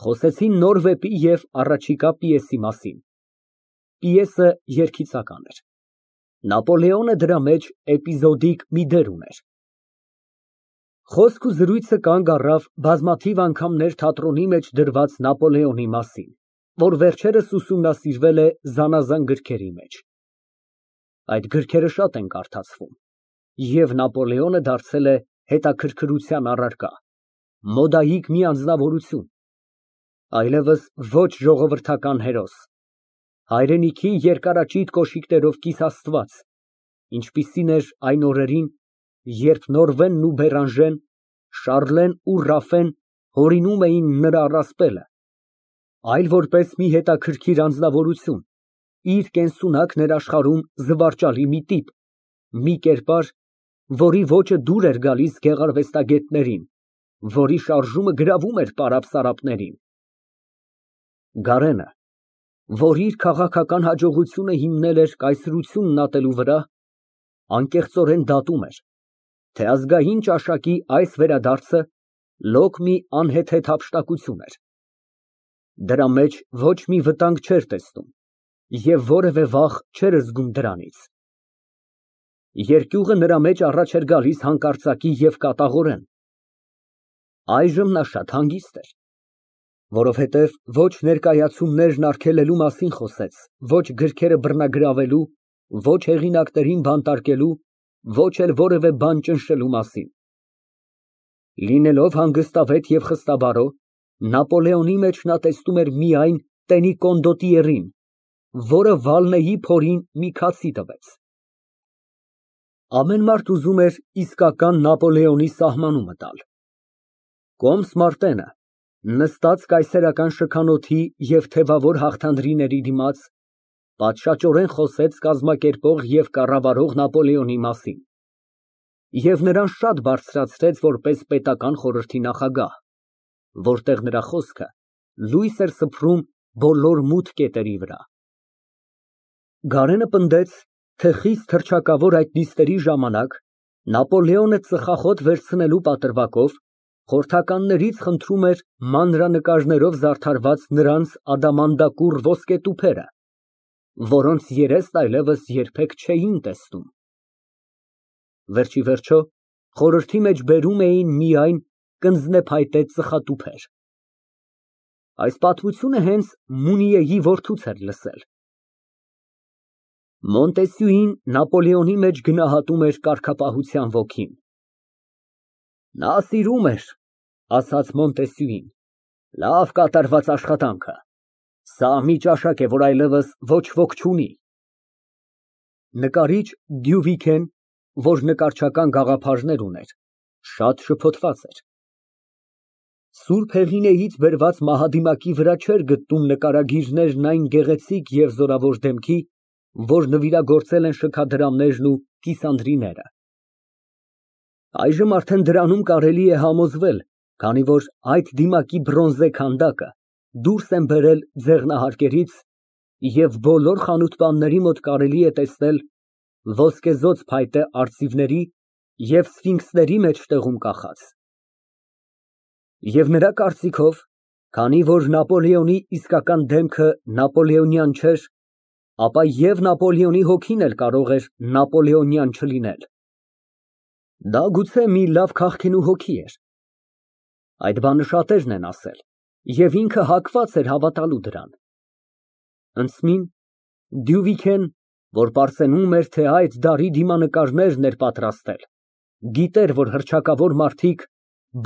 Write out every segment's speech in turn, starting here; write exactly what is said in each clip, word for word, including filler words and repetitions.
Խոսեցին նոր վեպի և առաջիկա պիեսի մասին։ Պիեսը երգիծական էր, Նապոլեոնը դրա մեջ էպիզոդիկ մի դեր ուներ։ Խոսք ու զրույցը կանգ առավ բազմաթիվ անգամներ թատրոնի մեջ դրված Նապոլեոնի մասին, որ վերջերս ուսումնասիրվել է զանազան գրքերի մեջ։ Այդ գրքերը շատ են կարդացվում, և Նապոլեոնը դարձել է հետաքրքրության առարկա, մոդայիկ մի անձնավորություն, այլևս ոչ ժողովրդական հերոս, հայրենիքի երկարաճիտ կոշիկներով կիսաստված, ինչպիսին էր այն օրերին, երբ Նորվենն ու Բերանժեն, Շառլեն ու Ռաֆեն հորինում էին նրա առասպելը, այլ որպես մի հետաքրքիր անձնավորություն, իր կենսունակ ներաշխարհում զվարճալի մի տիպ, մի կերպար, որի ոճը դուր էր գալիս գեղարվեստագետներին, որի շարժումը գրավում էր պարապ֊սարապներին։ Գարենը, որ իր քաղաքական հաջողությունը հիմնել էր կայսրությունն ատելու վրա, անկեղծորեն դատում էր, թե ազգային ճաշակի այս վերադարձը լոկ մի անհեթեթ հափշտակություն էր։ Դրա մեջ ոչ մի վտանգ չէր տեսնում և որևէ վախ չէր զգում դրանից։ Երկյուղը նրա մեջ առաջ էր գալիս հանկարծակի և կատաղորեն։ Այժմ նա շատ հանգիստ էր, որովհետև ոչ ներկայացումներն արգելելու մասին խոսեց, ոչ գրքերը բռնագրավելու, ոչ հեղինակներին բանտարկելու, ոչ էլ որևէ բան ճնշելու մասին։ Լինելով հանգստավետ և խստաբարո, Նապոլեոնի մեջ նա տեսնում էր միայն տենի կոնդոտիերին, որը Վալնեի փորին մի քացի տվեց։ Ամեն մարդ ուզում էր իսկական Նապոլեոնի սահմանումը տալ։ Կոմս Մարտենը, նստած կայսերական շքանոթի և թևավոր հաղթանդրիների դիմաց, պատշաճորեն խոսեց կազմակերպող և կառավարող Նապոլեոնի մասին և նրան շատ բարձրացրեց որպես պետական խորհրդի նախագահ, որտեղ նրա խոսքը լույս էր սփռում բոլոր մութ կետերի վրա։ Գարենը պնդեց, թե խիստ հռչակավոր այդ նիստերի ժամանակ Նապոլեոնը ծխախոտ վերցնելու պատրվակով խորհրդականներից խնդրում էր մանրանկարներով զարդարված նրանց ադամանդակուռ ոսկետուփերը, որոնց երեսն այլևս երբեք չէին տեսնում։ Վերջիվերջո, խորհրդի մեջ բերում էին միայն կնձնեփայտե ծխատուփեր։ Այս պատմությունը հենց Մունիեի որդուց էր լսել։ Մոնտեսյուին Նապոլեոնի մեջ գնահատում էր կարգապահության ոգին։ Նա սիրում էր, ասաց Մոնտեսյուին, լավ կատարված աշխատանքը, սա մի ճաշակ է, որ այլևս ոչ ոք չունի։ Նկարիչ Դյուվիկեն, որ նկարչական գաղափարներ ուներ, շատ շփոթված էր։ Սուրբ Հեղինեից բերված մահադիմակի վրա չէր գտնում նկարագիրներն այն գեղեցիկ և զորավոր դեմքի, որ նվիրագործել են շքադրամներն ու կիսանդրիները։ Այժմ արդեն դրանում կարելի է համոզվել, քանի որ այդ դիմակի բրոնզե քանդակը դուրս են բերել ձեղնահարկերից և բոլոր խանութպանների մոտ կարելի է տեսնել ոսկեզօծ փայտե արծիվների և սֆինքսների մեջտեղում կախած։ Եվ նրա կարծիքով, քանի որ Նապոլեոնի իսկական դեմքը նապոլեոնյան չէր, ապա և Նապոլեոնի հոգին էլ կարող էր նապոլեոնյան չլինել։ Դա գուցե մի լավ քաղքենու հոգի էր։ Այդ բանը շատերն են ասել, և ինքը հակված էր հավատալու դրան։ Ընդսմին Դյուվիկեն, որ պարծենում էր, թե այդ դարի դիմանկարներն էր պատրաստել, գիտեր, որ հռչակավոր մարդիկ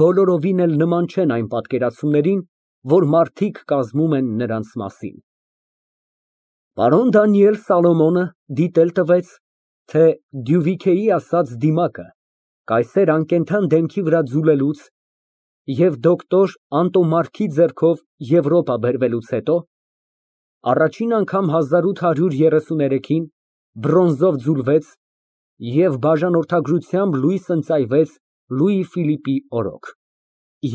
բոլորովին էլ նման չեն այն պատկերացումներին, որ մարդիկ կազմում են նրանց մասին։ Պարոն Դանիել Սալոմոնը դիտել տվեց, թե Դյուվիքեի ասած դիմակը կայսեր անկենդան դեմքի վրա ձուլելուց և դոկտոր Անտոմարքի ձեռքով Եվրոպա բերվելուց հետո, առաջին անգամ հազար ութ հարյուր երեսուներեքին բրոնզով ձուլվեց և բաժանորդագրությամբ լույս ընծայվեց Լուի Ֆիլիպի օրոք,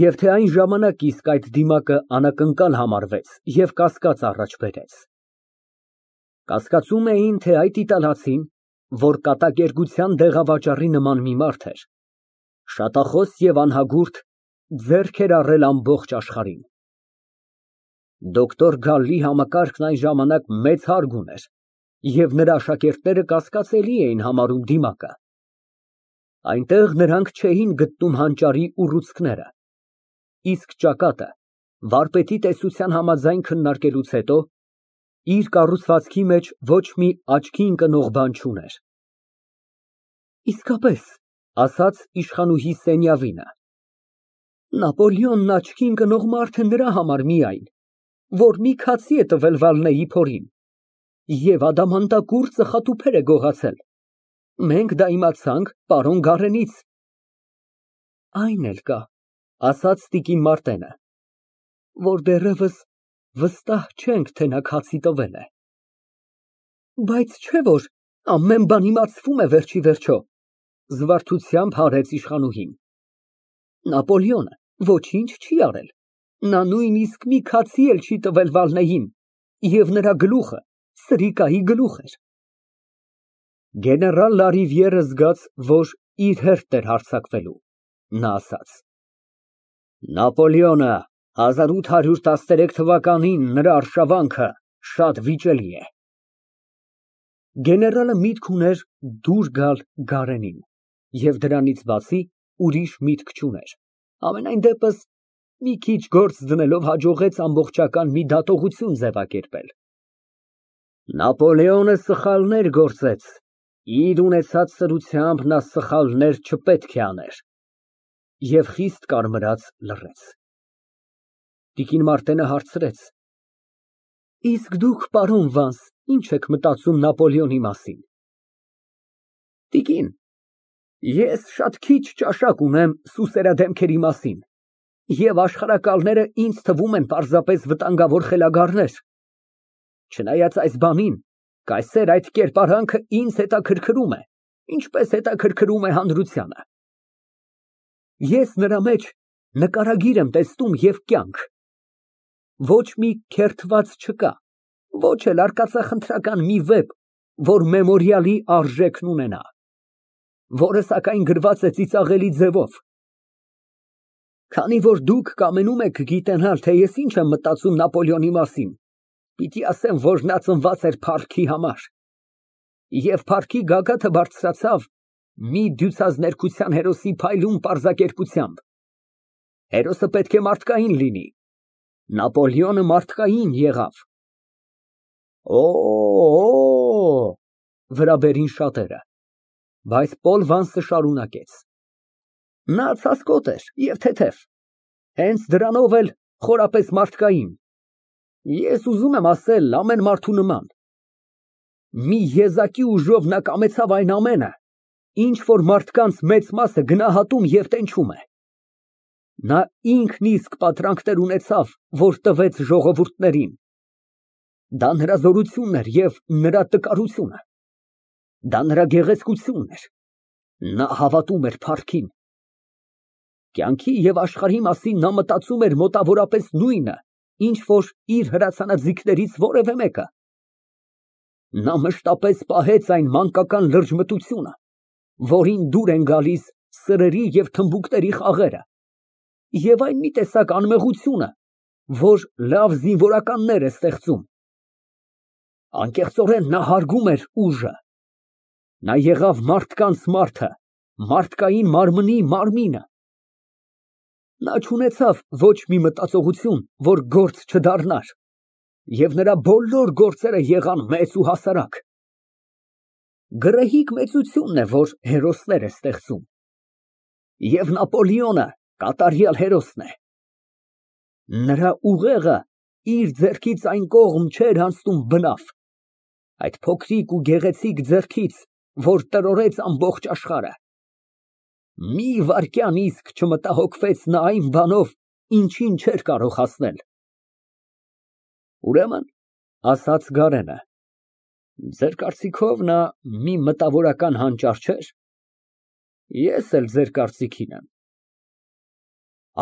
և թե այն ժամանակ իսկ այդ դիմակը անակնկալ համարվեց և կասկած առաջ բերեց։ Կասկածում էին, թե այդ իտալացին, որ կատակերգության դեղավաճառի նման մի մարդ էր, շատախոս և անհագուրդ, ձեռք էր առել ամբողջ աշխարհին։ Դոկտոր Գալլի համակարգն այն ժամանակ մեծ հարգ ուներ, և նրա աշակերտները կասկածելի էին համարում դիմակը. այնտեղ նրանք չէին գտնում հանճարի ուռուցքները, իսկ ճակատը, վարպետի տեսության համաձայն քննարկելուց հետո, իր կառուցվածքի մեջ ոչ մի աչքի ընկնող բան չուներ։ Իսկապես, ասաց իշխանուհի Սենյավինը, Նապոլեոնն աչքի ընկնող մարդ է նրա համար միայն, որ մի քացի է տվել Վալնեի փորին և ադամանդակուռ ծխատուփեր է գողացել։ Մենք դա իմացանք պարոն Գարենից։ Այն էլ կա, ասաց տիկին Մարտենը, որ դեռևս վստահ չենք, թե նա քացի տվել է։ Բայց չէ՞ որ ամեն բան իմացվում է վերջիվերջո, զվարթությամբ հարեց իշխանուհին։ Նապոլեոնը ոչինչ չի արել, նա նույնիսկ մի քացի էլ չի տվել Վալնեին, և նրա գլուխը սրիկայի գլուխ էր։ Գեներալ Լարիվիերը զգաց, որ իր հերթն էր հարձակվելու, նա ասաց. Նապոլեոնը հազար ութ հարյուր տասներեք թվականին նրա արշավանքը շատ վիճելի է։ Գեներալը միտք ուներ դուր գալ Գարենին և դրանից բացի ուրիշ միտք չուներ, համենայն դեպս մի քիչ գործ դնելով հաջողեց ամբողջական մի դատողություն ձևակերպել։ Նապոլեոնը սխալներ գործեց, իր ունեցած սրությամբ նա սխալներ չպետք է աներ, և խիստ կարմրած լռեց։ Տիկին Մարտենը հարցրեց. Իսկ դուք, պարոն Վանս, ինչ եք մտածում Նապոլեոնի մասին։ Տիկին, ես շատ քիչ ճաշակ ունեմ սուսերադեմքերի մասին, և աշխարհակալները ինձ թվում են պարզապես վտանգավոր խելագարներ։ Չնայած այս բանին, կայսեր այդ կերպարանքը ինձ հետաքրքրում է, ինչպես հետաքրքրում է հանրությանը։ Ես նրա մեջ նկարագիր եմ տեսնում և կյանք։ Ոչ մի քերթված չկա, ոչ էլ արկածախնդրական մի վեպ, որ մեմորիալի արժեքն ունենա, որը սակայն գրված է ծիծաղելի ձևով։ Քանի որ դուք կամենում եք գիտենալ, թե ես ինչ եմ մտածում Նապոլեոնի մասին, պիտի ասեմ, որ նա ծնված էր փառքի համար, և փառքի գագաթը բարձրացավ մի դյուցազներկության հերոսի փայլուն պարզակերպությամբ։ Հերոսը պետք է մարդկային լինի, Նապոլեոնը մարդկային եղավ։ Օ, վրա բերին շատերը, բայց Պոլ Վանսը շարունակեց. Նա ցասկոտ էր և թեթև, հենց դրանով էլ խորապես մարդկային, ես ուզում եմ ասել ամեն մարդու նման։ Մի եզակի ուժով նա կամեցավ այն ամենը, ինչ որ մարդկանց մեծ մասը գնահատում և տենչում է։ Նա ինքն իսկ պատրանքներ ունեցավ, որ տվեց ժողովուրդներին։ Դա նրա զորությունն էր և նրա տկարությունը, դա նրա գեղեցկությունն էր, նա հավատում էր փառքին։ Կյանքի և աշխարհի մասին նա մտածում էր մոտավորապես նույնը, ինչ որ իր հրացանաձիգներից որևէ մեկը։ Նա մշտապես պահեց այն մանկական լրջմտությունը, որին դուր են գալիս սրերի և թմբուկների խաղերը, և այն մի տեսակ անմեղությունը, որ լավ զինվորականներ է ստեղծում։ Անկեղծորեն նա հարգում էր ուժը։ Նա եղավ մարդկանց մարդը, մարդկային մարմնի մարմինը։ Նա չունեցավ ոչ մի մտածողություն, որ գործ չդառնար, և նրա բոլոր գործերը եղան մեծ ու հասարակ։ Գռեհիկ մեծությունն է, որ հերոսներ է ստեղծում, և Նապոլեոնը կատարյալ հերոսն է։ Նրա ուղեղը իր ձեռքից այն կողմ չէր անցնում բնավ, այդ փոքրիկ ու գեղեցիկ ձեռքից, որ տրորեց ամբողջ աշխարհը։ Մի վայրկյան իսկ չմտահոգվեց նա այն բանով, ինչին չէր կարող հասնել։ Ուրեմն, ասաց Գարենը, ձեր կարծիքով նա մի մտավորական հանճար չէր։ Ես էլ ձեր կարծիքին եմ։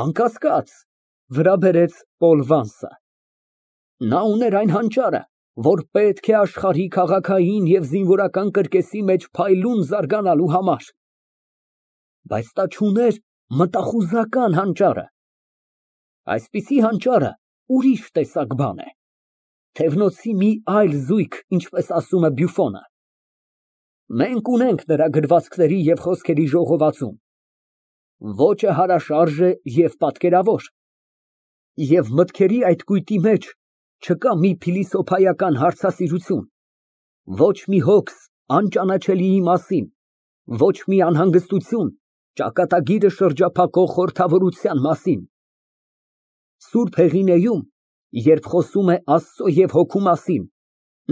Անկասկած, վրա բերեց Պոլ Վանսը, նա ուներ այն հանճարը, որ պետք է աշխարհի քաղաքային և զինվորական կրկեսի մեջ փայլուն զարգանալու համար, բայց նա չուներ մտախուզական հանճարը։ Այսպիսի հանճարը ուրիշ տեսակ բան է։ Թևնոցի մի այլ զույգ, ինչպես ասում է Բյուֆոնը։ Մենք ունենք նրա գրվածքների և խոսքերի ժողովածուն, ոճը հարաշարժ է և պատկերավոր, և մտքերի այդ կույտի մեջ չկա մի փիլիսոփայական հարցասիրություն, ոչ մի հոգս անճանաչելիի մասին, ոչ մի անհանգստություն ճակատագիրը շրջափակող խորհրդավորության մասին։ Սուրբ Հեղինեում, երբ խոսում է Աստծո և հոգու մասին,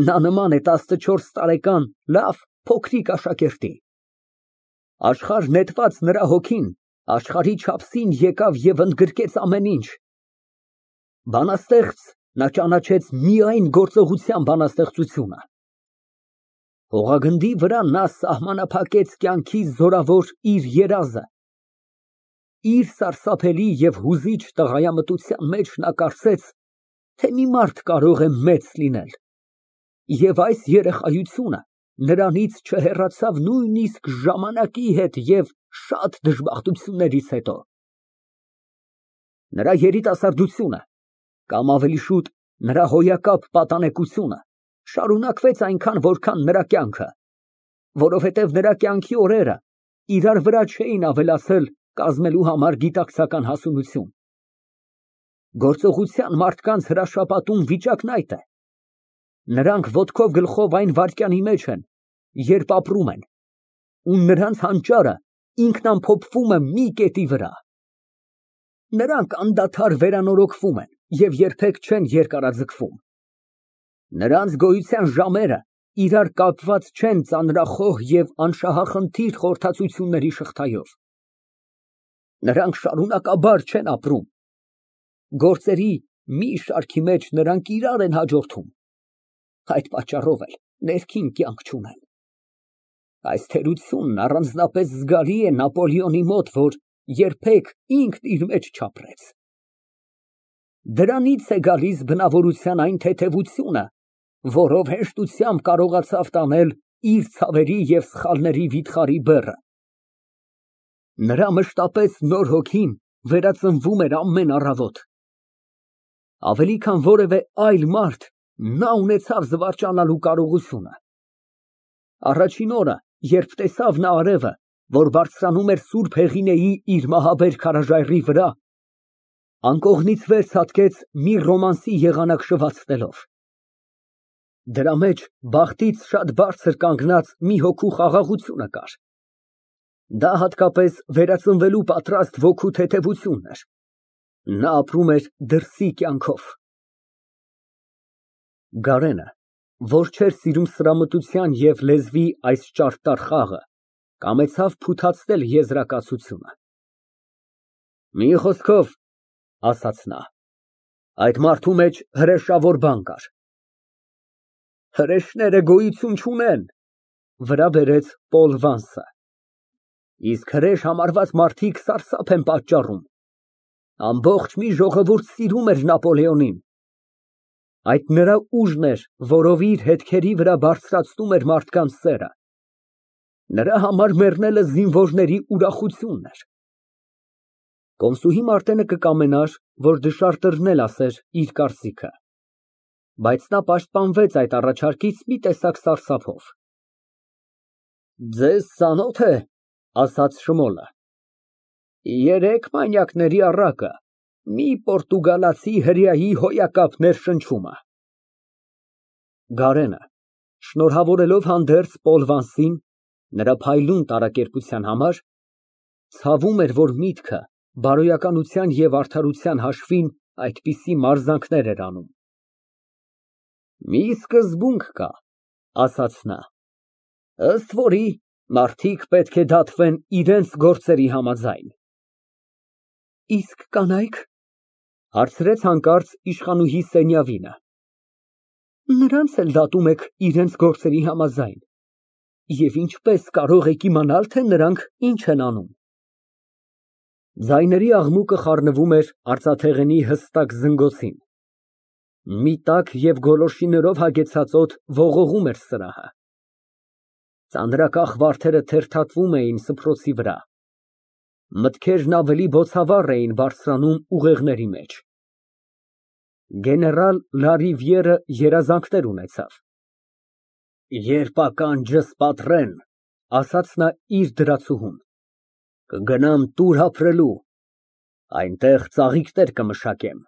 նա նման է տասնչորս տարեկան լավ փոքրիկ աշակերտի։ Աշխարհ նետված նրա հոգին աշխարհի չափսին եկավ և ընդգրկեց ամեն ինչ։ Բանաստեղծ նա ճանաչեց միայն գործողության բանաստեղծությունը։ Հողագնդի վրա նա սահմանափակեց կյանքի զորավոր իր երազը։ Իր սարսափելի և հուզիչ տղայամտության մեջ նա կարծեց, թե մի մարդ կարող է մեծ լինել, և այս երեխայությունը նրանից չհեռացավ նույնիսկ ժամանակի հետ և շատ դժբախտություններից հետո։ Նրա երիտասարդությունը, կամ ավելի շուտ նրա հոյակապ պատանեկությունը շարունակվեց այնքան, որքան նրա կյանքը, որովհետև նրա կյանքի օրերը իրար վրա չէին ավելացել կազմելու համար գիտակցական հասունություն։ Գործողության մարդկանց հրաշապատում վիճակն այդ է. նրանք ոտքով գլխով այն վայրկյանի մեջ են, երբ ապրում են, ու նրանց հանճարը ինքնամփոփվում է մի կետի վրա։ Նրանք անդադար վերանորոգվում են և երբեք չեն երկարաձգվում։ Նրանց գոյության ժամերը իրար կապված չեն ծանրախոհ և անշահախնդիր խորհրդածությունների շղթայով։ Նրանք շարունակաբար չեն ապրում։ Գործերի մի շարքի մեջ նրանք իրար են հաջորդում, այդ պատճառով էլ ներքին կյանք չունեն։ Այս թերությունն առանձնապես զգալի է Նապոլեոնի մոտ, որ երբեք ինքն իր մեջ չապրեց։ Դրանից է գալիս բնավորության այն թեթևությունը, որով հեշտությամբ կարողացավ տանել իր ցավերի և սխալների վիթխարի բեռը։ Նրա մշտապես նոր հոգին վերածնվում էր ամեն առավոտ։ Ավելի քան որևէ այլ մարդ, նա ունեցավ զվարճանալու կարողությունը։ Առաջին օրը, երբ տեսավ նա արևը, որ բարձրանում էր Սուրբ Հեղինեի իր մահաբեր քարաժայռի վրա, անկողնից վեր ցատկեց մի ռոմանսի եղանակ շվացնելով։ Դրա մեջ բախտից շատ բարձր կանգնած մի հոգու խաղաղությունը կար։ Դա հատկապես վերածնվելու պատրաստ ոգու թեթևությունն էր։ Նա ապրում էր դրսի կյանքով։ Գարենը, որ չէր սիրում սրամտության և լեզվի այս ճարտար խաղը, կամեցավ փութացնել եզրակացությունը։ Մի խոսքով, ասաց նա, այդ մարդու մեջ հրեշավոր բան կար։ Հրեշները գոյություն չունեն, վրա բերեց Պոլ Վանսը, իսկ հրեշ համարված մարդիկ սարսափ են պատճառում։ Ամբողջ մի ժողովուրդ սիրում էր Նապոլեոնին։ Այդ նրա ուժն էր, որով իր հետքերի վրա բարձրացնում էր մարդկանց սերը։ Նրա համար մեռնելը զինվորների ուրախությունն էր։ Կոմսուհի Մարտենը կկամենար, որ դժարտերն էլ ասեր իր կարծիքը, բայց նա պաշտպանվեց այդ առաջարկից մի տեսակ սարսափով։ Ձեզ ծանոթ է, ասաց Շմոլը, երեք մանյակների առակը մի պորտուգալացի հրեայի հոյակապ ներշնչումը։ Գարենը, շնորհավորելով հանդերձ Պոլ Վանսին նրա փայլուն տարակերպության համար, ցավում էր, որ միտքը բարոյականության և արդարության հաշվին այդպիսի մարզանքներ էր անում։ Մի սկզբունք կա, ասաց նա, ըստ որի մարդիկ պետք է դատվեն իրենց գործերի համաձայն։ Իսկ կանայք, հարցրեց հանկարծ իշխանուհի Սենյավինը, նրանց էլ դատում եք իրենց գործերի համաձայն, և ինչպես կարող եք իմանալ, թե նրանք ինչ են անում։ Ձայների աղմուկը խառնվում էր արծաթեղենի հստակ զնգոցին։ Մի տաք և գոլորշիներով հագեցած օդ ողողում էր սրահը։ Ծանրակախ վարդերը թերթատվում էին սփռոցի վրա։ Մտքերն ավելի բոցավառ էին բարձրանում ուղեղների մեջ։ Գեներալ Լարիվիերը երազանքներ ունեցավ։ Երբ ականջս պատռեն, ասաց նա իր դրացուհուն, կգնամ տուր ապրելու, այնտեղ ծաղիկներ կմշակեմ։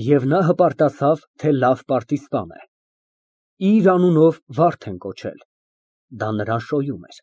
Եվ նա հպարտացավ, թե լավ պարտիզպան է, իր անունով վարդ են կոչել, դա նրան շոյում էր։